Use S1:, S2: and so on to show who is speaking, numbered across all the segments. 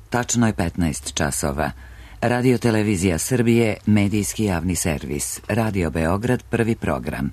S1: Tačno je 15 časova. Radio Televizija Srbije, medijski javni servis. Radio Beograd, prvi program.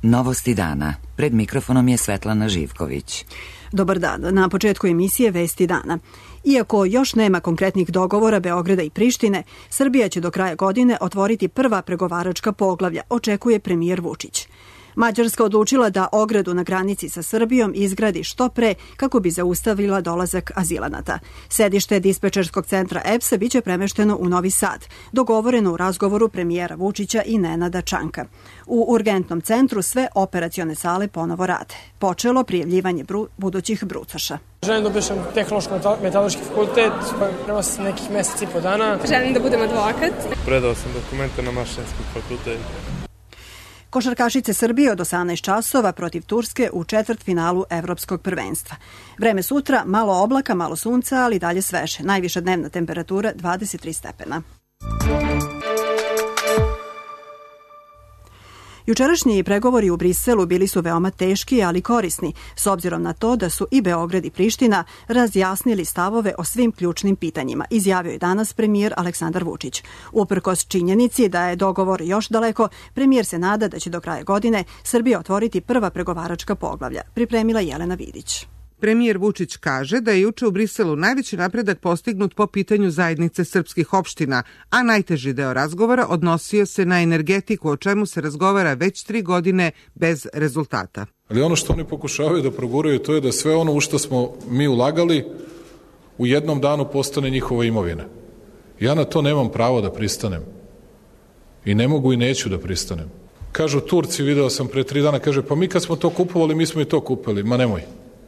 S1: Novosti dana. Pred mikrofonom je Svetlana Živković.
S2: Dobar dan. Na početku emisije Vesti dana. Iako još nema konkretnih dogovora Beograda i Prištine, Srbija će do kraja godine otvoriti prva pregovaračka poglavlja, očekuje premijer Vučić. Mađarska odlučila da ogradu na granici sa Srbijom izgradi što pre kako bi zaustavila dolazak azilanata. Sedište dispečerskog centra EPS-a biće premešteno u Novi Sad, dogovoreno u razgovoru premijera Vučića i Nenada Čanka. U urgentnom centru sve operacione sale ponovo rade. Počelo prijavljivanje budućih brucoša.
S3: Želim da upišem tehnološko-metaloški fakultet, prema nekih meseci i po dana.
S4: Želim da budem advokat.
S5: Predao sam dokumente na mašinski fakultet.
S2: Košarkašice Srbije od 18 časova protiv Turske u četvrtfinalu Evropskog prvenstva. Vreme sutra, malo oblaka, malo sunca, ali dalje sveže. Najviša dnevna temperatura 23 stepena. Jučerašnji pregovori u Briselu bili su veoma teški, ali korisni, s obzirom na to da su i Beograd i Priština razjasnili stavove o svim ključnim pitanjima, izjavio je danas premijer Aleksandar Vučić. Uprkos činjenici da je dogovor još daleko, premijer se nada da će do kraja godine Srbija otvoriti prva pregovaračka poglavlja, pripremila Jelena Vidić.
S6: Premijer Vučić kaže da je juče u Briselu najveći napredak postignut po pitanju zajednice srpskih opština, a najteži deo razgovora odnosio se na energetiku, o čemu se razgovara već 3 godine bez rezultata.
S7: Ali ono što oni pokušavaju da proguraju to je da sve ono u što smo mi ulagali u jednom danu postane njihova imovina. Ja na to nemam pravo da pristanem. I ne mogu i neću da pristanem. Kažu Turci, video sam pre 3 dana, kaže pa mi kad smo to kupovali, mi smo i to kupili. Ma nemoj.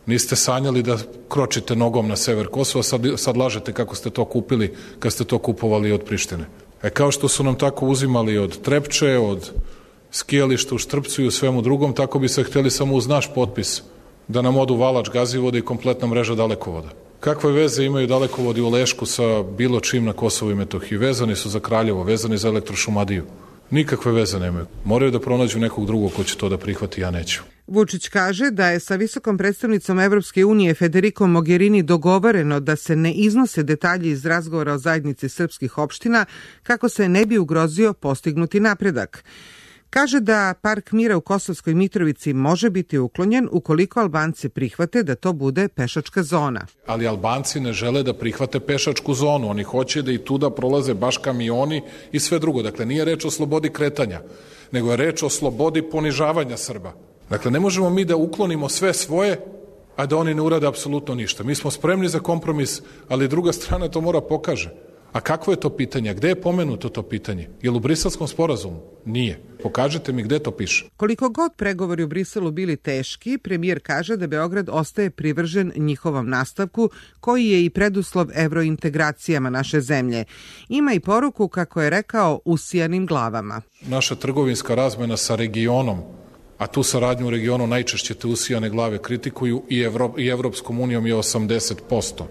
S7: Niste sanjali da kročite nogom na sever Kosova, sad lažete kako ste to kupili kad ste to kupovali od Prištine. Kao što su nam tako uzimali od Trepče, od skijališta u Štrpcu i u svemu drugom, tako bi se hteli samo uz naš potpis da nam odu Valač, Gazivode i kompletna mreža dalekovoda. Kakve veze imaju dalekovodi u Lešku sa bilo čim na Kosovu i Metohiji? Vezani su za Kraljevo, vezani za Elektrošumadiju. Nikakve veze nemaju. Moraju da pronađu nekog drugog ko će to da prihvati, ja neću.
S6: Vučić kaže da je sa visokom predstavnicom Evropske unije Federico Mogherini dogovoreno da se ne iznose detalji iz razgovora o zajednici srpskih opština kako se ne bi ugrozio postignuti napredak. Kaže da Park mira u Kosovskoj Mitrovici može biti uklonjen ukoliko Albanci prihvate da to bude pešačka zona.
S7: Ali Albanci ne žele da prihvate pešačku zonu. Oni hoće da i tuda prolaze baš kamioni i sve drugo. Dakle, nije reč o slobodi kretanja, nego je reč o slobodi ponižavanja Srba. Dakle, ne možemo mi da uklonimo sve svoje, a da oni ne urade apsolutno ništa. Mi smo spremni za kompromis, ali druga strana to mora pokaže. A kakvo je to pitanje? Gde je pomenuto to pitanje? Je li u Briselskom sporazumu? Nije. Pokažite mi gde to piše.
S6: Koliko god pregovori u Briselu bili teški, premijer kaže da Beograd ostaje privržen njihovom nastavku, koji je i preduslov evrointegracijama naše zemlje. Ima i poruku, kako je rekao, usijanim glavama.
S7: Naša trgovinska razmena sa regionom, a tu saradnju u regionu najčešće te usijane glave kritikuju i Evropskom unijom je 80%.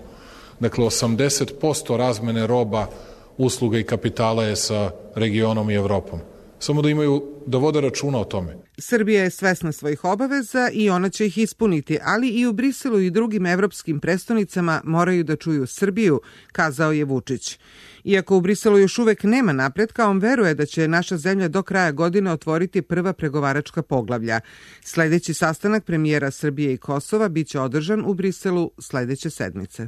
S7: Dakle, 80% razmene roba, usluga i kapitala je sa regionom i Evropom. Samo da vode računa o tome.
S6: Srbija je svesna svojih obaveza i ona će ih ispuniti, ali i u Briselu i drugim evropskim prestonicama moraju da čuju Srbiju, kazao je Vučić. Iako u Briselu još uvek nema napretka, on veruje da će naša zemlja do kraja godine otvoriti prva pregovaračka poglavlja. Sledeći sastanak premijera Srbije i Kosova biće održan u Briselu sledeće sedmice.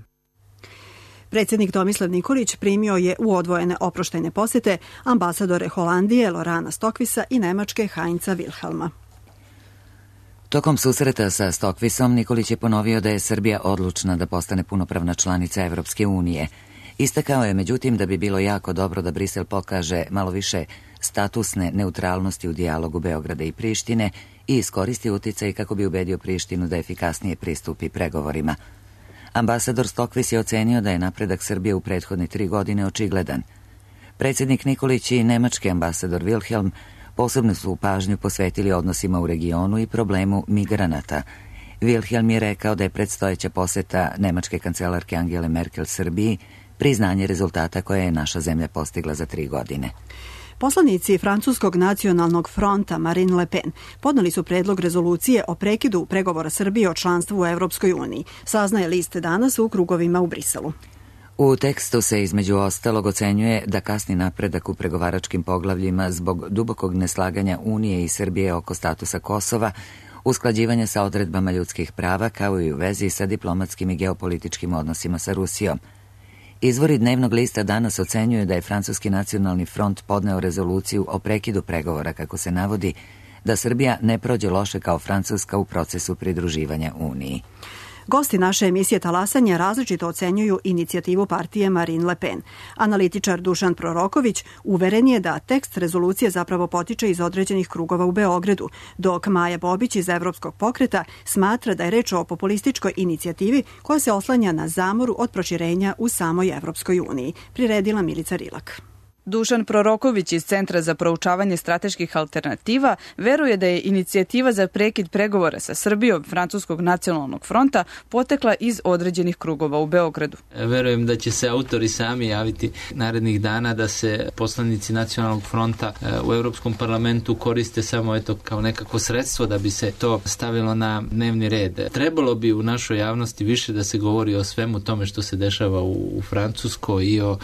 S2: Predsjednik Tomislav Nikolić primio je u odvojene oproštajne posete ambasadore Holandije Lorana Stokvisa i Nemačke Heinza Wilhelma.
S1: Tokom susreta sa Stokvisom, Nikolić je ponovio da je Srbija odlučna da postane punopravna članica Evropske unije. Istakao je, međutim, da bi bilo jako dobro da Brisel pokaže malo više statusne neutralnosti u dijalogu Beograda i Prištine i iskoristi uticaj kako bi ubedio Prištinu da efikasnije pristupi pregovorima. Ambasador Stokvis je ocenio da je napredak Srbije u prethodne 3 godine očigledan. Predsjednik Nikolić i nemački ambasador Wilhelm posebno su pažnju posvetili odnosima u regionu i problemu migranata. Wilhelm je rekao da je predstojeća poseta nemačke kancelarke Angele Merkel Srbiji priznanje rezultata koje je naša zemlja postigla za 3 godine.
S2: Poslanici Francuskog nacionalnog fronta Marine Le Pen podneli su predlog rezolucije o prekidu pregovora Srbije o članstvu u Evropskoj uniji, saznaje list danas u krugovima u Briselu.
S1: U tekstu se između ostalog ocenjuje da kasni napredak u pregovaračkim poglavljima zbog dubokog neslaganja Unije i Srbije oko statusa Kosova, usklađivanja sa odredbama ljudskih prava, kao i u vezi sa diplomatskim i geopolitičkim odnosima sa Rusijom. Izvori dnevnog lista danas ocenjuju da je Francuski nacionalni front podneo rezoluciju o prekidu pregovora, kako se navodi, da Srbija ne prođe loše kao Francuska u procesu pridruživanja Uniji.
S2: Gosti naše emisije Talasanja različito ocenjuju inicijativu partije Marine Le Pen. Analitičar Dušan Proroković uveren je da tekst rezolucije zapravo potiče iz određenih krugova u Beogradu, dok Maja Bobić iz Evropskog pokreta smatra da je reč o populističkoj inicijativi koja se oslanja na zamoru od proširenja u samoj Evropskoj uniji, priredila Milica Rilak.
S4: Dušan Proroković iz Centra za proučavanje strateških alternativa veruje da je inicijativa za prekid pregovora sa Srbijom Francuskog nacionalnog fronta potekla iz određenih krugova u Beogradu.
S8: Verujem da će se autori sami javiti narednih dana da se poslanici nacionalnog fronta u Europskom parlamentu koriste samo kao nekako sredstvo da bi se to stavilo na dnevni red. Trebalo bi u našoj javnosti više da se govori o svemu tome što se dešava u Francuskoj i o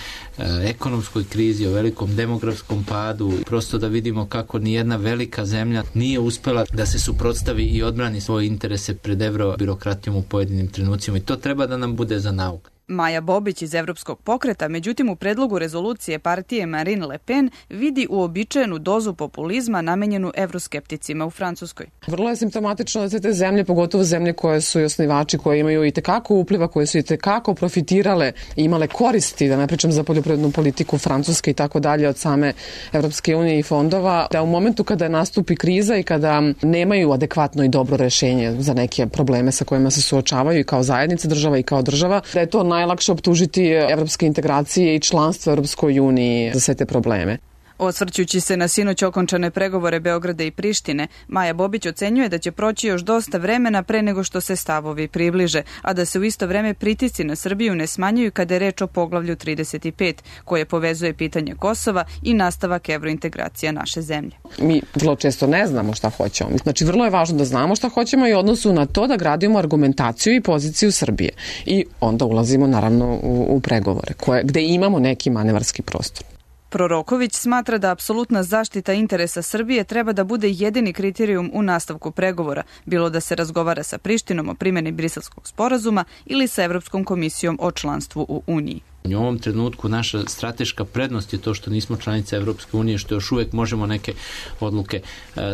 S8: ekonomskoj krizi, o velikom demografskom padu, prosto da vidimo kako nijedna velika zemlja nije uspela da se suprotstavi i odbrani svoje interese pred eurobirokratijom u pojedinim trenucima i to treba da nam bude za nauk.
S4: Maja Bobić iz Evropskog pokreta, međutim u predlogu rezolucije partije Marine Le Pen vidi uobičajenu dozu populizma namenjenu evroskepticima u Francuskoj.
S9: Vrlo je simptomatično da se te zemlje, pogotovo zemlje koje su i osnivači, koje imaju i tekako upliva, koje su i tekako profitirale i imale koristi, da ne pričam za poljoprivrednu politiku Francuske i tako dalje od same Evropske unije i fondova, da u momentu kada nastupi kriza i kada nemaju adekvatno i dobro rešenje za neke probleme sa kojima se suočavaju i kao zajednica država i kao država, da je to najlakše optužiti evropske integracije i članstvo Evropskoj uniji za sve te probleme.
S4: Osvrćući se na sinoć okončane pregovore Beograda i Prištine, Maja Bobić ocenjuje da će proći još dosta vremena pre nego što se stavovi približe, a da se u isto vreme pritisci na Srbiju ne smanjuju kada je reč o poglavlju 35, koje povezuje pitanje Kosova i nastavak evrointegracija naše zemlje.
S9: Mi vrlo često ne znamo šta hoćemo. Znači, vrlo je važno da znamo šta hoćemo i odnosu na to da gradimo argumentaciju i poziciju Srbije. I onda ulazimo naravno u pregovore, gde imamo neki manevarski prostor.
S4: Proroković smatra da apsolutna zaštita interesa Srbije treba da bude jedini kriterijum u nastavku pregovora, bilo da se razgovara sa Prištinom o primjeni Briselskog sporazuma ili sa Evropskom komisijom o članstvu u Uniji.
S8: U ovom trenutku naša strateška prednost je to što nismo članica Evropske unije, što još uvek možemo neke odluke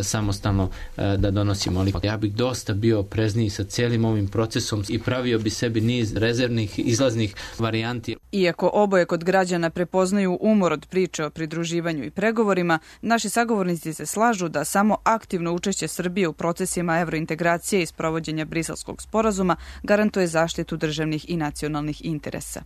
S8: samostalno da donosimo. Ali ja bih dosta bio oprezniji sa cijelim ovim procesom i pravio bi sebi niz rezervnih, izlaznih varijanti.
S4: Iako oboje kod građana prepoznaju umor od priče o pridruživanju i pregovorima, naši sagovornici se slažu da samo aktivno učešće Srbije u procesima evrointegracije i sprovođenja Briselskog sporazuma garantuje zaštitu državnih i nacionalnih interesa.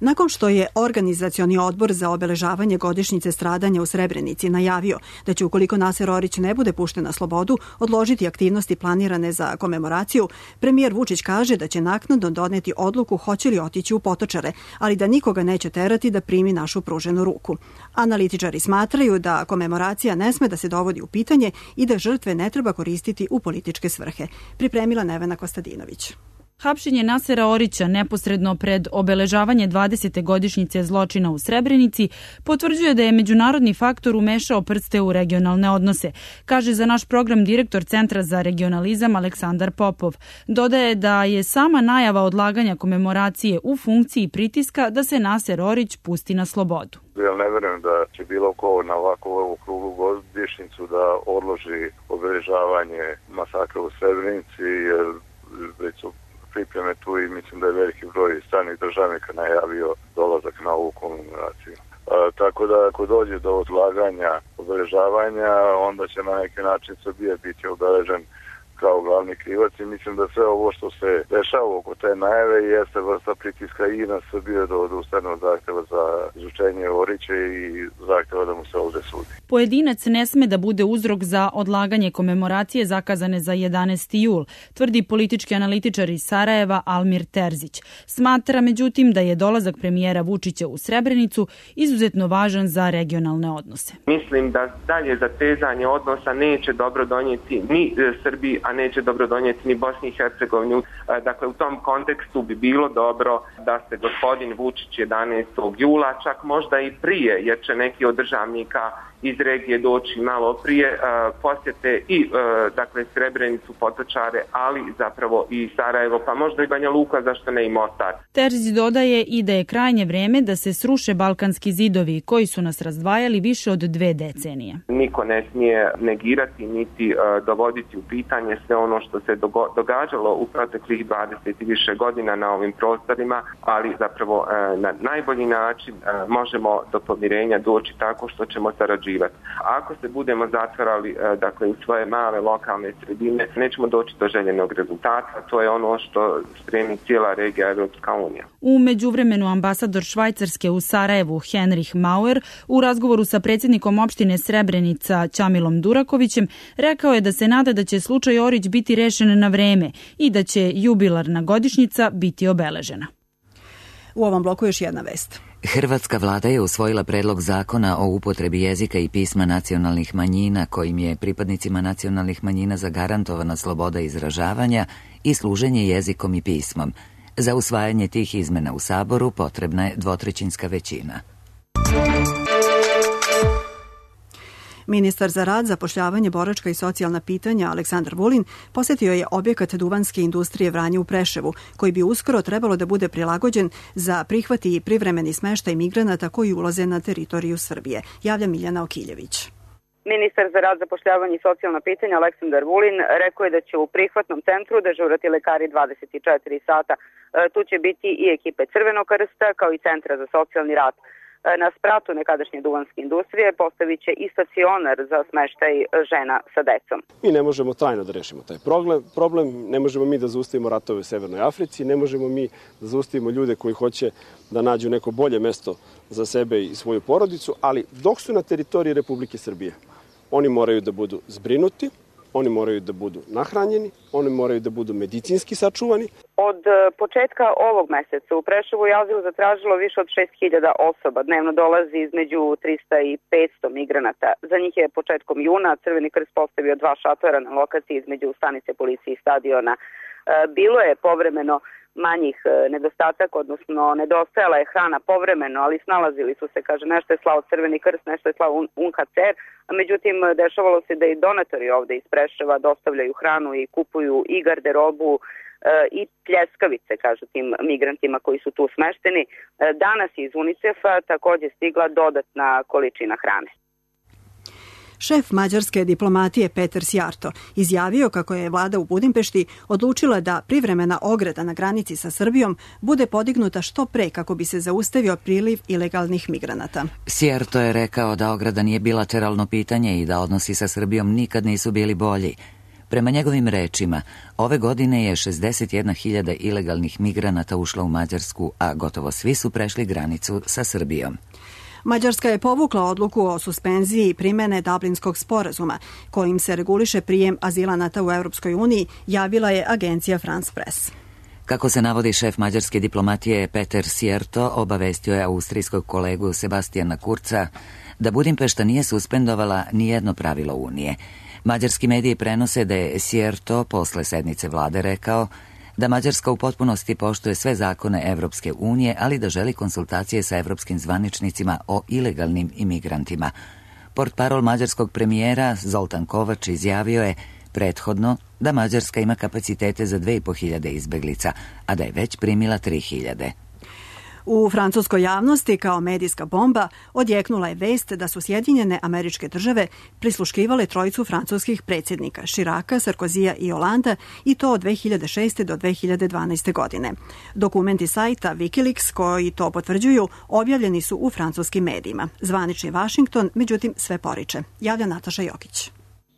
S2: Nakon što je Organizacioni odbor za obeležavanje godišnjice stradanja u Srebrenici najavio da će, ukoliko Naser Orić ne bude pušten na slobodu, odložiti aktivnosti planirane za komemoraciju, premijer Vučić kaže da će naknadno doneti odluku hoće li otići u Potočare, ali da nikoga neće terati da primi našu pruženu ruku. Analitičari smatraju da komemoracija ne sme da se dovodi u pitanje i da žrtve ne treba koristiti u političke svrhe. Pripremila Nevena Kostadinović.
S10: Hapšenje Nasera Orića neposredno pred obeležavanje 20. godišnjice zločina u Srebrenici potvrđuje da je međunarodni faktor umešao prste u regionalne odnose, kaže za naš program direktor Centra za regionalizam Aleksandar Popov. Dodaje da je sama najava odlaganja komemoracije u funkciji pritiska da se Naser Orić pusti na slobodu.
S11: Ja ne verujem da će bilo ko na ovakvu okruglu godišnjicu da odloži obeležavanje masakra u Srebrenici, jer već su pripreme tu i mislim da je veliki broj stranih državnika najavio dolazak na ovu komemoraciju. Tako da ako dođe do odlaganja obeležavanja, onda će na neki način Srbija biti obeležen kao glavni krivac i mislim da sve ovo što se dešava oko te najave jeste vrsta pritiska i na Srbiju da odustane od zahteva za izučenje Orića i zahteva da mu se ovde sudi.
S10: Pojedinac ne sme da bude uzrok za odlaganje komemoracije zakazane za 11. jul, tvrdi politički analitičar iz Sarajeva Almir Terzić. Smatra međutim da je dolazak premijera Vučića u Srebrenicu izuzetno važan za regionalne odnose.
S12: Mislim da dalje zatezanje odnosa neće dobro donijeti ni Srbiji, a neće dobro donijeti ni Bosni i Hercegovini. Dakle, u tom kontekstu bi bilo dobro da se gospodin Vučić 11. jula, čak možda i prije, jer će neki od državnika iz regije doći malo prije, posjete i dakle Srebrenicu, Potočare, ali zapravo i Sarajevo, pa možda i Banja Luka, zašto ne i Mostar.
S10: Terzić dodaje i da je krajnje vreme da se sruše balkanski zidovi koji su nas razdvajali više od 2 decenije.
S12: Niko ne smije negirati niti dovoditi u pitanje sve ono što se događalo u proteklih 20 i više godina na ovim prostorima, ali zapravo na najbolji način možemo do pomirenja doći tako što ćemo sarađivati. Ako se budemo zatvarali dakle u svoje male lokalne sredine, nećemo doći do željenog rezultata. To je ono što stremi cijela regija Evropska unija.
S10: U međuvremenu ambasador Švajcarske u Sarajevu Henrich Mauer u razgovoru sa predsjednikom opštine Srebrenica Ćamilom Durakovićem rekao je da se nada da će slučaj Orić biti rešen na vreme i da će jubilarna godišnjica biti obeležena.
S2: U ovom bloku još jedna vest.
S1: Hrvatska vlada je usvojila predlog zakona o upotrebi jezika i pisma nacionalnih manjina kojim je pripadnicima nacionalnih manjina zagarantovana sloboda izražavanja i služenje jezikom i pismom. Za usvajanje tih izmena u Saboru potrebna je 2/3 većina.
S2: Ministar za rad, zapošljavanje, boračka i socijalna pitanja Aleksandar Vulin posjetio je objekat duvanske industrije Vranje u Preševu, koji bi uskoro trebalo da bude prilagođen za prihvat i privremeni smeštaj migranata koji ulaze na teritoriju Srbije. Javlja Miljana Okiljević.
S13: Ministar za rad, zapošljavanje i socijalna pitanja Aleksandar Vulin rekao je da će u prihvatnom centru dežurati lekari 24 sata. Tu će biti i ekipe Crvenog krsta kao i Centra za socijalni rad. Na spratu nekadašnje duvanske industrije postavit će i stacionar za smeštaj žena sa decom.
S14: Mi ne možemo trajno da rešimo taj problem, ne možemo mi da zaustavimo ratove u Severnoj Africi, ne možemo mi da zaustavimo ljude koji hoće da nađu neko bolje mesto za sebe i svoju porodicu, ali dok su na teritoriji Republike Srbije, oni moraju da budu zbrinuti, oni moraju da budu nahranjeni, oni moraju da budu medicinski sačuvani.
S13: Od početka ovog meseca u Preševu je azil zatražilo više od 6.000 osoba. Dnevno dolazi između 300 i 500 migranata. Za njih je početkom juna Crveni krst postavio 2 šatora na lokaciji između stanice policije i stadiona. Bilo je povremeno manjih nedostataka, odnosno nedostajala je hrana povremeno, ali snalazili su se, kaže, nešto je slao Crveni krst, nešto je slao UNHCR, a međutim dešavalo se da i donatori ovde iz Preševa dostavljaju hranu i kupuju i garderobu i pljeskavice, kažu tim migrantima koji su tu smešteni. Danas iz UNICEF-a takođe stigla dodatna količina hrane.
S2: Šef mađarske diplomatije Peter Sjarto izjavio kako je vlada u Budimpešti odlučila da privremena ograda na granici sa Srbijom bude podignuta što pre kako bi se zaustavio priliv ilegalnih migranata.
S1: Sjarto je rekao da ograda nije bilateralno pitanje i da odnosi sa Srbijom nikad nisu bili bolji. Prema njegovim rečima, ove godine je 61.000 ilegalnih migranata ušlo u Mađarsku, a gotovo svi su prešli granicu sa Srbijom.
S2: Mađarska je povukla odluku o suspenziji primene Dublinskog sporazuma, kojim se reguliše prijem azilanata u Europskoj uniji, javila je agencija France Press.
S1: Kako se navodi, šef mađarske diplomatije Peter Sierto obavestio je austrijskog kolegu Sebastijana Kurca da Budimpešta nije suspendovala nijedno pravilo Unije. Mađarski mediji prenose da je Sierto posle sednice vlade rekao da Mađarska u potpunosti poštuje sve zakone Evropske unije, ali da želi konsultacije sa evropskim zvaničnicima o ilegalnim imigrantima. Portparol mađarskog premijera Zoltan Kovač izjavio je prethodno da Mađarska ima kapacitete za 2.500 izbeglica, a da je već primila 3.000.
S2: U francuskoj javnosti kao medijska bomba odjeknula je vest da su Sjedinjene Američke Države prisluškivale trojicu francuskih predsjednika Chiraca, Sarkozija i Holanda, i to od 2006. do 2012. godine. Dokumenti sajta Wikileaks koji to potvrđuju objavljeni su u francuskim medijima. Zvanični Washington, međutim, sve poriče. Javlja Nataša Jokić.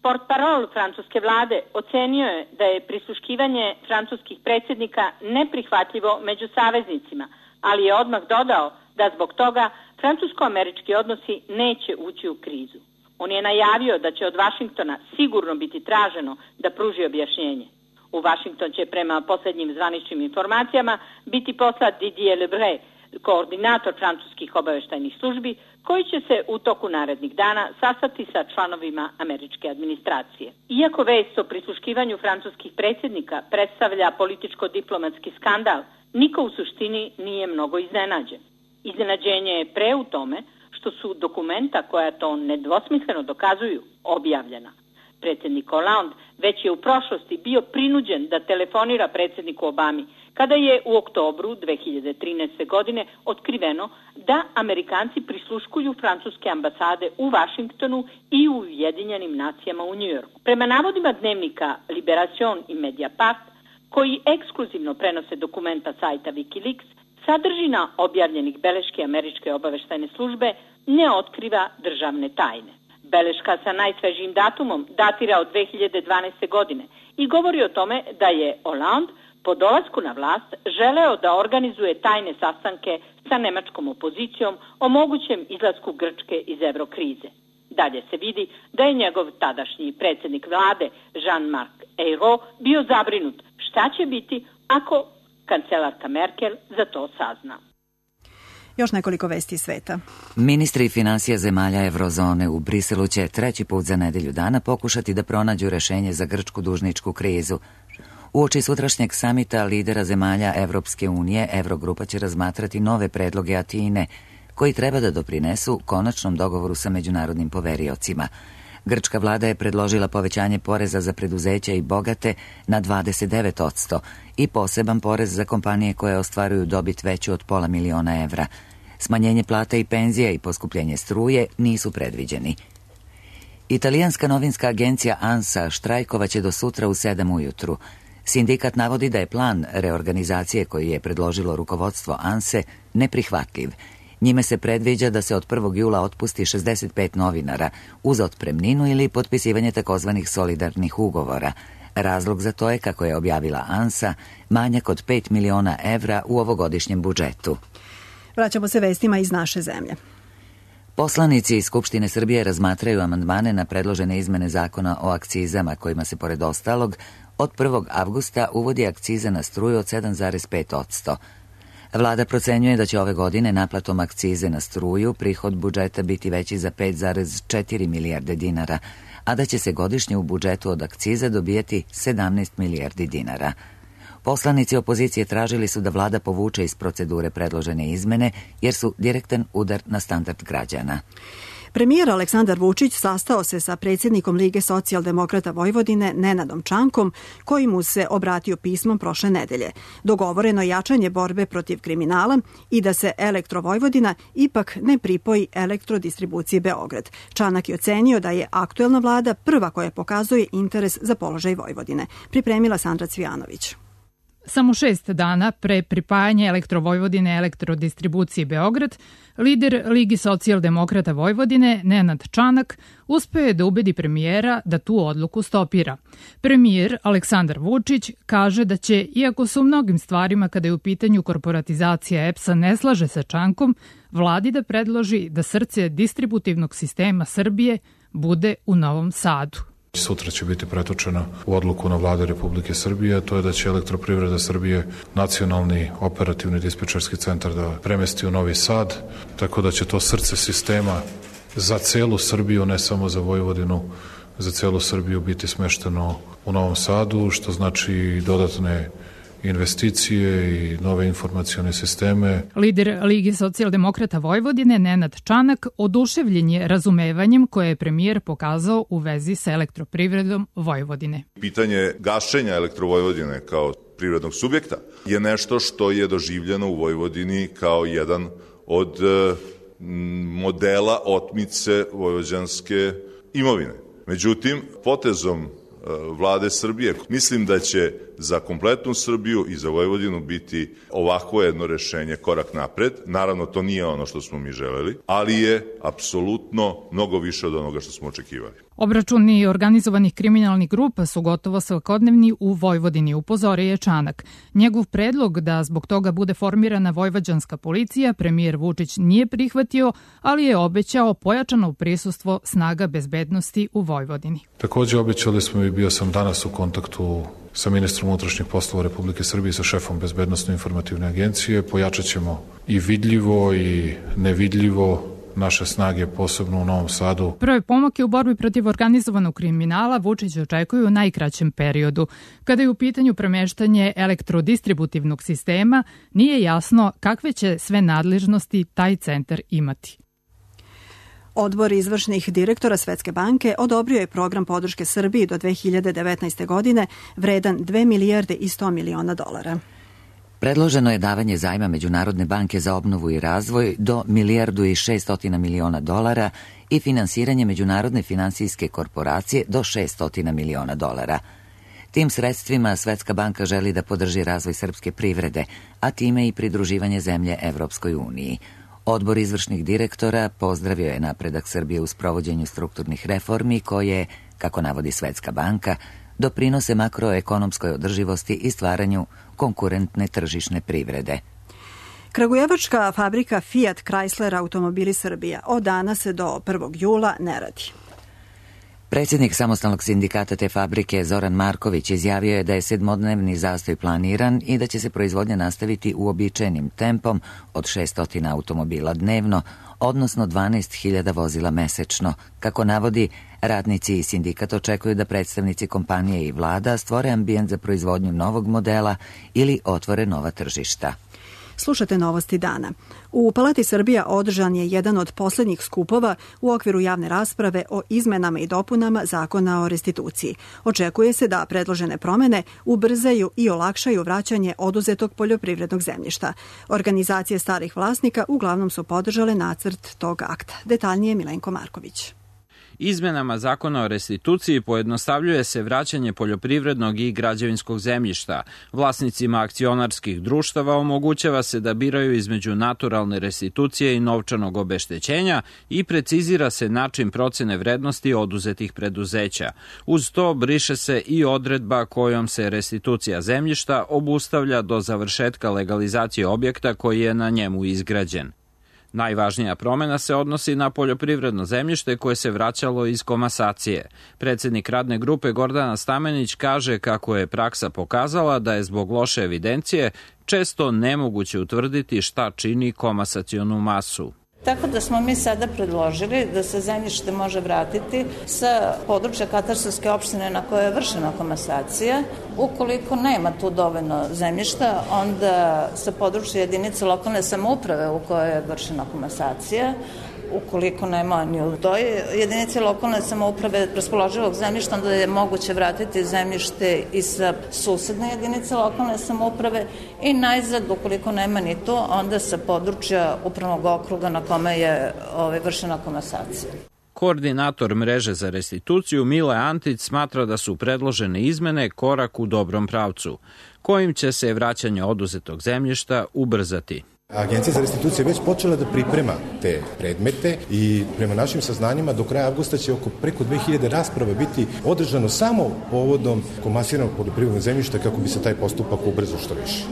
S15: Portparol francuske vlade ocenio je da je prisluškivanje francuskih predsjednika neprihvatljivo među saveznicima, ali je odmah dodao da zbog toga francusko-američki odnosi neće ući u krizu. On je najavio da će od Vašingtona sigurno biti traženo da pruži objašnjenje. U Vašington će prema posljednjim zvaničnim informacijama biti poslat Didier Lebray, koordinator francuskih obavještajnih službi, koji će se u toku narednih dana sastati sa članovima američke administracije. Iako vest o prisluškivanju francuskih predsjednika predstavlja političko-diplomatski skandal, niko u suštini nije mnogo iznenađen. Iznenađenje je pre u tome što su dokumenta koja to nedvosmisleno dokazuju objavljena. Predsjednik Hollande već je u prošlosti bio prinuđen da telefonira predsjedniku Obami, kada je u oktobru 2013. godine otkriveno da Amerikanci prisluškuju francuske ambasade u Vašingtonu i u Ujedinjenim nacijama u Njujorku. Prema navodima dnevnika Liberation i Mediapart, koji ekskluzivno prenose dokumenta sajta Wikileaks, sadržina objavljenih beleške američke obavještajne službe ne otkriva državne tajne. Beleška sa najsvežijim datumom datira od 2012. godine i govori o tome da je Hollande po dolasku na vlast želeo da organizuje tajne sastanke sa nemačkom opozicijom o mogućem izlasku Grčke iz evrokrize. Dalje se vidi da je njegov tadašnji predsjednik vlade Jean-Marc Ayrault bio zabrinut šta će biti ako kancelarka Merkel za to sazna.
S2: Još nekoliko vesti iz sveta.
S1: Ministri finansija zemalja Evrozone u Briselu će treći put za nedelju dana pokušati da pronađu rešenje za grčku dužničku krizu. Uoči sutrašnjeg samita lidera zemalja Evropske unije, Evrogrupa će razmatrati nove predloge Atine, koji treba da doprinesu konačnom dogovoru sa međunarodnim poveriocima. Grčka vlada je predložila povećanje poreza za preduzeća i bogate na 29% i poseban porez za kompanije koje ostvaruju dobit veću od $500.000. Smanjenje plata i penzija i poskupljenje struje nisu predviđeni. Italijanska novinska agencija ANSA štrajkovaće do sutra u 7 ujutru. Sindikat navodi da je plan reorganizacije koji je predložilo rukovodstvo ANSE neprihvatljiv. Njime se predviđa da se od 1. jula otpusti 65 novinara uz otpremninu ili potpisivanje takozvanih solidarnih ugovora. Razlog za to je, kako je objavila ANSA, manjak od 5 miliona evra u ovogodišnjem budžetu.
S2: Vraćamo se vestima iz naše zemlje.
S1: Poslanici iz Skupštine Srbije razmatraju amandmane na predložene izmene zakona o akcizama, kojima se, pored ostalog, od 1. avgusta uvodi akciza na struju od 7,5%. Vlada procenjuje da će ove godine naplatom akcize na struju prihod budžeta biti veći za 5,4 milijarde dinara, a da će se godišnje u budžetu od akciza dobijati 17 milijardi dinara. Poslanici opozicije tražili su da vlada povuče iz procedure predložene izmene, jer su direktan udar na standard građana.
S2: Premijer Aleksandar Vučić sastao se sa predsjednikom Lige socijaldemokrata Vojvodine Nenadom Čankom, koji mu se obratio pismom prošle nedelje. Dogovoreno jačanje borbe protiv kriminala i da se Elektrovojvodina ipak ne pripoji Elektrodistribuciji Beograd. Čanak je ocenio da je aktuelna vlada prva koja pokazuje interes za položaj Vojvodine. Pripremila Sandra Cvijanović.
S16: Samo 6 dana pre pripajanja Elektrovojvodine Elektrodistribuciji Beograd, lider Ligi socijaldemokrata Vojvodine, Nenad Čanak, uspeo je da ubedi premijera da tu odluku stopira. Premijer Aleksandar Vučić kaže da će, iako se u mnogim stvarima kada je u pitanju korporatizacija EPS-a ne slaže sa Čankom, vladi da predloži da srce distributivnog sistema Srbije bude u Novom Sadu.
S7: Sutra će biti pretočena u odluku na vlade Republike Srbije, to je da će Elektroprivreda Srbije nacionalni operativni dispečerski centar da premesti u Novi Sad, tako da će to srce sistema za celu Srbiju, ne samo za Vojvodinu, za celu Srbiju biti smešteno u Novom Sadu, što znači dodatne investicije i nove informacione sisteme.
S16: Lider Lige socijaldemokrata Vojvodine Nenad Čanak oduševljen je razumevanjem koje je premijer pokazao u vezi sa Elektroprivredom Vojvodine.
S17: Pitanje gašenja Elektrovojvodine kao privrednog subjekta je nešto što je doživljeno u Vojvodini kao jedan od modela otmice vojvođanske imovine. Međutim, potezom vlade Srbije mislim da će za kompletnu Srbiju i za Vojvodinu biti ovako jedno rešenje korak napred. Naravno, to nije ono što smo mi želeli, ali je apsolutno mnogo više od onoga što smo očekivali.
S16: Obračuni organizovanih kriminalnih grupa su gotovo svakodnevni u Vojvodini, upozorio je Čanak. Njegov predlog da zbog toga bude formirana vojvođanska policija premijer Vučić nije prihvatio, ali je obećao pojačano prisustvo snaga bezbednosti u Vojvodini.
S7: Takođe obećali smo i bio sam danas u kontaktu sa ministrom unutrašnjih poslova Republike Srbije i sa šefom Bezbednosno-informativne agencije. Pojačat ćemo i vidljivo i nevidljivo naše snage, posebno u Novom Sadu.
S16: Prve pomake u borbi protiv organizovanog kriminala Vučić očekuju u najkraćem periodu. Kada je u pitanju premeštanje elektrodistributivnog sistema, nije jasno kakve će sve nadležnosti taj centar imati.
S2: Odbor izvršnih direktora Svetske banke odobrio je program podrške Srbiji do 2019. godine vredan 2 milijarde i 100 miliona dolara.
S1: Predloženo je davanje zajma Međunarodne banke za obnovu i razvoj do 1,6 milijardi dolara i finansiranje Međunarodne finansijske korporacije do 600 miliona dolara. Tim sredstvima Svetska banka želi da podrži razvoj srpske privrede, a time i pridruživanje zemlje Evropskoj uniji. Odbor izvršnih direktora pozdravio je napredak Srbije u sprovođenju strukturnih reformi koje, kako navodi Svetska banka, doprinose makroekonomskoj održivosti i stvaranju konkurentne tržišne privrede.
S2: Kragujevačka fabrika Fiat Chrysler Automobili Srbija od danas do 1. jula ne radi.
S1: Predsjednik samostalnog sindikata te fabrike Zoran Marković izjavio je da je 7-dnevni zastoj planiran i da će se proizvodnja nastaviti uobičajenim tempom od 600 automobila dnevno, odnosno 12.000 vozila mesečno. Kako navodi, radnici i sindikat očekuju da predstavnici kompanije i vlada stvore ambijent za proizvodnju novog modela ili otvore nova tržišta.
S2: Slušate novosti dana. U Palati Srbija održan je jedan od poslednjih skupova u okviru javne rasprave o izmenama i dopunama Zakona o restituciji. Očekuje se da predložene promene ubrzaju i olakšaju vraćanje oduzetog poljoprivrednog zemljišta. Organizacije starih vlasnika uglavnom su podržale nacrt tog akta. Detaljnije Milenko Marković.
S18: Izmenama Zakona o restituciji pojednostavljuje se vraćanje poljoprivrednog i građevinskog zemljišta. Vlasnicima akcionarskih društava omogućava se da biraju između naturalne restitucije i novčanog obeštećenja i precizira se način procene vrednosti oduzetih preduzeća. Uz to briše se i odredba kojom se restitucija zemljišta obustavlja do završetka legalizacije objekta koji je na njemu izgrađen. Najvažnija promena se odnosi na poljoprivredno zemljište koje se vraćalo iz komasacije. Predsednik radne grupe Gordana Stamenić kaže kako je praksa pokazala da je zbog loše evidencije često nemoguće utvrditi šta čini komasacionu masu.
S19: Tako da smo mi sada predložili da se zemljište može vratiti sa područja katastarske opštine na kojoj je vršena komasacija. Ukoliko nema tu dovoljno zemljišta, onda sa područja jedinice lokalne samouprave u kojoj je vršena komasacija. Ukoliko nema ni u toj jedinici lokalne samouprave raspoloživog zemljišta, onda je moguće vratiti zemljište i sa susedne jedinice lokalne samouprave i najzad, ukoliko nema ni to, onda sa područja upravnog okruga na kome je vršena komasacija.
S18: Koordinator mreže za restituciju Mile Antić smatra da su predložene izmene korak u dobrom pravcu, kojim će se vraćanje oduzetog zemljišta ubrzati.
S20: Agencija za restituciju je već počela da priprema te predmete i prema našim saznanjima do kraja avgusta će preko 2000 rasprava biti održano samo povodom komasiranog poljoprivrednog zemljišta kako bi se taj postupak ubrzao što više.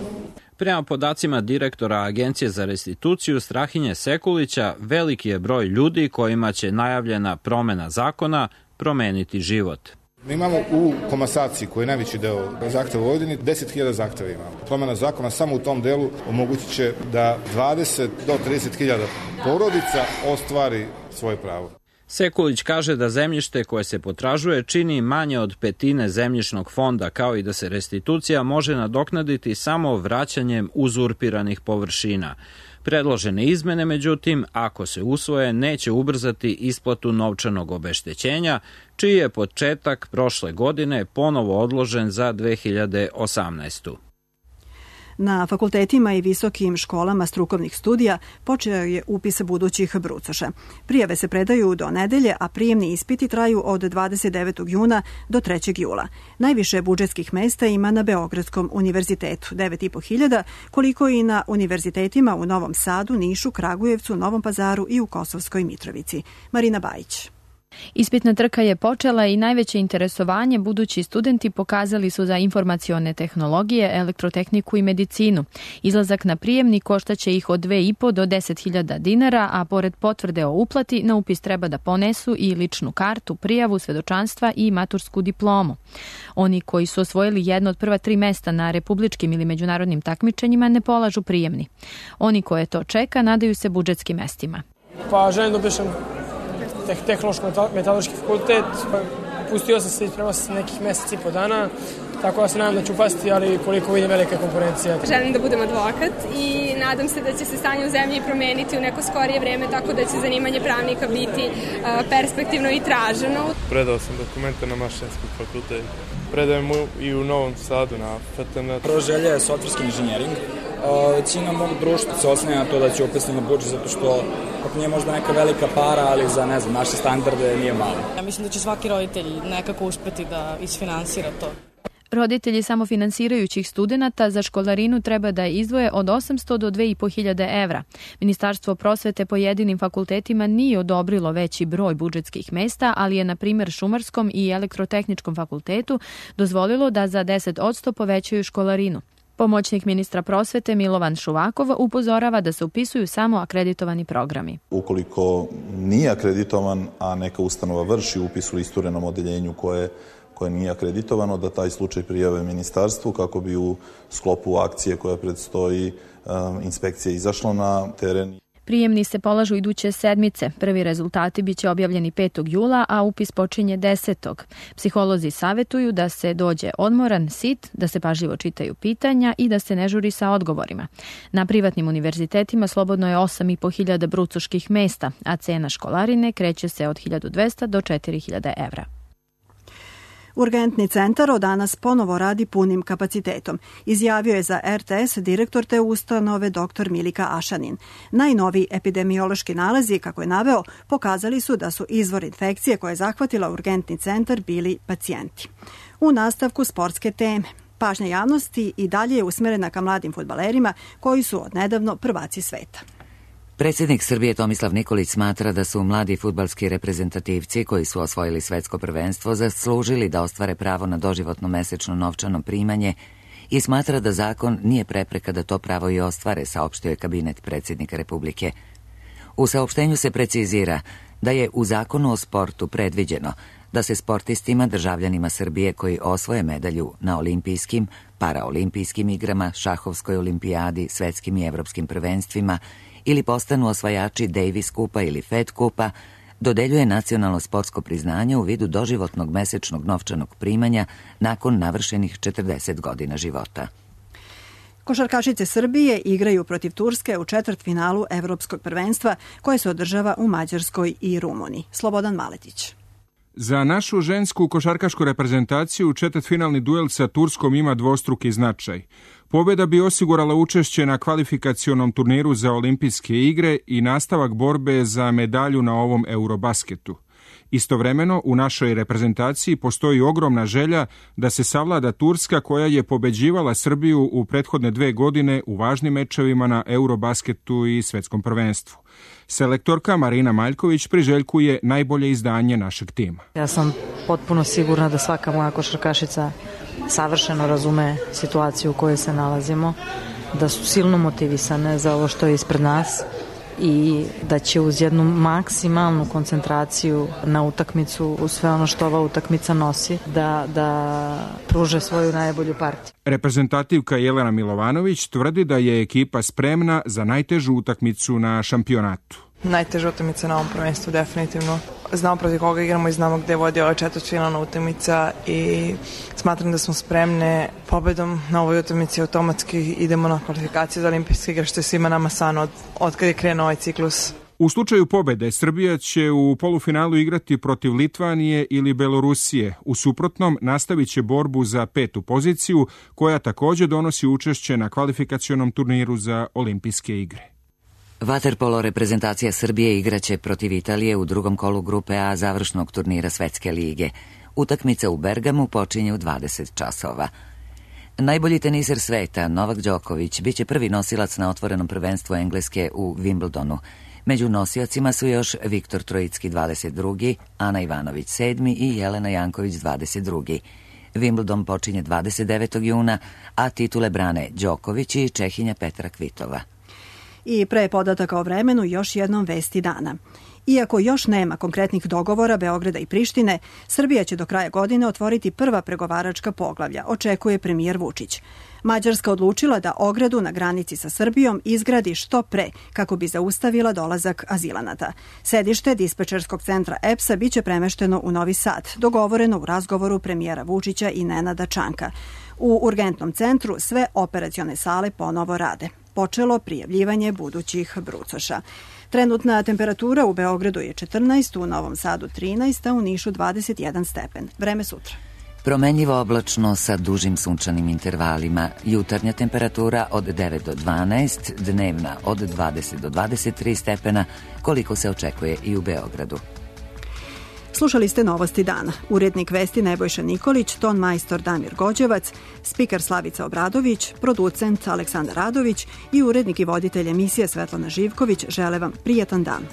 S18: Prema podacima direktora Agencije za restituciju Strahinje Sekulića, veliki je broj ljudi kojima će najavljena promena zakona promeniti život.
S21: Mi imamo u komasaciji, koji je najveći deo zahteva u Vojvodini, 10.000 zahteva imamo. Promena zakona samo u tom delu omogućit će da 20 do 30.000 porodica ostvari svoje pravo.
S18: Sekulić kaže da zemljište koje se potražuje čini manje od petine zemljišnog fonda, kao i da se restitucija može nadoknaditi samo vraćanjem uzurpiranih površina. Predložene izmene, međutim, ako se usvoje, neće ubrzati isplatu novčanog obeštećenja, čiji je početak prošle godine ponovo odložen za 2018.
S2: Na fakultetima i visokim školama strukovnih studija počeo je upis budućih brucoša. Prijave se predaju do nedelje, a prijemni ispiti traju od 29. juna do 3. jula. Najviše budžetskih mesta ima na Beogradskom univerzitetu, 9.500, koliko i na univerzitetima u Novom Sadu, Nišu, Kragujevcu, Novom Pazaru i u Kosovskoj Mitrovici. Marina Bajić.
S3: Ispitna trka je počela i najveće interesovanje budući studenti pokazali su za informacione tehnologije, elektrotehniku i medicinu. Izlazak na prijemni koštaće ih od 2.500 do 10.000 dinara, a pored potvrde o uplati na upis treba da ponesu i ličnu kartu, prijavu, svedočanstva i matursku diplomu. Oni koji su osvojili jedno od prva 3 mesta na republičkim ili međunarodnim takmičenjima ne polažu prijemni. Oni koje to čeka nadaju se budžetskim mestima.
S22: Pa želim da upišem tehnološko-metaloški fakultet. Pustio sam se i spremao sam nekih meseci i po dana, tako da se nadam da ću upasti, ali koliko vidim velika konkurencija.
S23: Želim da budem advokat i nadam se da će se stanje u zemlji promeniti u neko skorije vreme, tako da će zanimanje pravnika biti perspektivno i traženo.
S5: Predao sam dokumente na Mašinski fakultet. Predajem i u Novom Sadu na FTN.
S24: Prva želja je softverski inženjering. Većina mog društva se osnije na to da će upisati na budžet, zato što ako nije možda neka velika para, ali za, ne znam, naše standarde nije malo.
S25: Ja mislim da će svaki roditelj nekako uspeti da isfinansira to.
S3: Roditelji samofinansirajućih studenata za školarinu treba da izdvoje od 800 do 2.500 evra. Ministarstvo prosvete pojedinim fakultetima nije odobrilo veći broj budžetskih mesta, ali je na primjer Šumarskom i Elektrotehničkom fakultetu dozvolilo da za 10% povećaju školarinu. Pomoćnik ministra prosvete Milovan Šuvakov upozorava da se upisuju samo akreditovani programi.
S26: Ukoliko nije akreditovan, a neka ustanova vrši upis u isturenom odeljenju koje nije akreditovano, da taj slučaj prijave ministarstvu kako bi u sklopu akcije koja predstoji inspekcija izašla na teren.
S3: Prijemni se polažu iduće sedmice. Prvi rezultati biće objavljeni 5. jula, a upis počinje 10. Psiholozi savetuju da se dođe odmoran, sit, da se pažljivo čitaju pitanja i da se ne žuri sa odgovorima. Na privatnim univerzitetima slobodno je 8.500 brucoških mesta, a cena školarine kreće se od 1.200 do 4.000 evra.
S2: Urgentni centar od danas ponovo radi punim kapacitetom, izjavio je za RTS direktor te ustanove dr. Milika Ašanin. Najnoviji epidemiološki nalazi, kako je naveo, pokazali su da su izvor infekcije koje je zahvatila urgentni centar bili pacijenti. U nastavku sportske teme. Pažnja javnosti i dalje je usmerena ka mladim fudbalerima koji su odnedavno prvaci sveta.
S1: Predsjednik Srbije Tomislav Nikolić smatra da su mladi fudbalski reprezentativci koji su osvojili svetsko prvenstvo zaslužili da ostvare pravo na doživotno mesečno novčano primanje i smatra da zakon nije prepreka da to pravo i ostvare, saopštio je kabinet predsjednika Republike. U saopštenju se precizira da je u zakonu o sportu predviđeno da se sportistima, državljanima Srbije koji osvoje medalju na olimpijskim, paraolimpijskim igrama, šahovskoj olimpijadi, svetskim i evropskim prvenstvima ili postanu osvajači Davis kupa ili Fed kupa, dodeljuje nacionalno sportsko priznanje u vidu doživotnog mesečnog novčanog primanja nakon navršenih 40 godina života.
S2: Košarkašice Srbije igraju protiv Turske u četvrtfinalu Evropskog prvenstva koje se održava u Mađarskoj i Rumuniji. Slobodan Maletić.
S27: Za našu žensku košarkašku reprezentaciju četvrtfinalni duel sa Turskom ima dvostruki značaj. Pobjeda bi osigurala učešće na kvalifikacionom turniru za olimpijske igre i nastavak borbe za medalju na ovom Eurobasketu. Istovremeno, u našoj reprezentaciji postoji ogromna želja da se savlada Turska koja je pobeđivala Srbiju u prethodne 2 godine u važnim mečevima na Eurobasketu i svetskom prvenstvu. Selektorka Marina Maljković priželjkuje najbolje izdanje našeg tima.
S28: Ja sam potpuno sigurna da svaka moja košarkašica savršeno razume situaciju u kojoj se nalazimo, da su silno motivisane za ovo što je ispred nas i da će uz jednu maksimalnu koncentraciju na utakmicu, u sve ono što ova utakmica nosi, da pruže svoju najbolju partiju.
S27: Reprezentativka Jelena Milovanović tvrdi da je ekipa spremna za najtežu utakmicu na šampionatu.
S29: Najteža utakmica na ovom prvenstvu, definitivno. Znamo protiv koga igramo i znamo gde vodi ova četvrtfinalna utakmica i smatram da smo spremne. Pobedom na ovoj utakmici automatski idemo na kvalifikaciju za olimpijske igre, što je svima nama san od kad je krenuo ovaj ciklus.
S27: U slučaju pobede, Srbija će u polufinalu igrati protiv Litvanije ili Belorusije. U suprotnom, nastavit će borbu za 5. poziciju, koja također donosi učešće na kvalifikacionom turniru za olimpijske igre.
S1: Vaterpolo reprezentacija Srbije igraće protiv Italije u drugom kolu grupe A završnog turnira Svetske lige. Utakmica u Bergamu počinje u 20 časova. Najbolji teniser sveta, Novak Đoković, biće prvi nosilac na otvorenom prvenstvu Engleske u Wimbledonu. Među nosiocima su još Viktor Trojicki 22., Ana Ivanović 7. i Jelena Janković 22. Wimbledon počinje 29. juna, a titule brane Đoković i Čehinja Petra Kvitova.
S2: I pre podataka o vremenu još jednom vesti dana. Iako još nema konkretnih dogovora Beograda i Prištine, Srbija će do kraja godine otvoriti prva pregovaračka poglavlja, očekuje premijer Vučić. Mađarska odlučila da ogradu na granici sa Srbijom izgradi što pre kako bi zaustavila dolazak azilanata. Sedište dispečerskog centra EPS-a biće premešteno u Novi Sad, dogovoreno u razgovoru premijera Vučića i Nenada Čanka. U urgentnom centru sve operacione sale ponovo rade. Počelo prijavljivanje budućih brucoša. Trenutna temperatura u Beogradu je 14, u Novom Sadu 13, a u Nišu 21 stepen. Vreme sutra.
S1: Promenljivo oblačno sa dužim sunčanim intervalima. Jutarnja temperatura od 9 do 12, dnevna od 20 do 23 stepena, koliko se očekuje i u Beogradu.
S2: Slušali ste Novosti dana. Urednik vesti Nebojša Nikolić, ton majstor Damir Gođevac, spiker Slavica Obradović, producent Aleksandar Radović i urednik i voditelj emisije Svetlana Živković žele vam prijatan dan.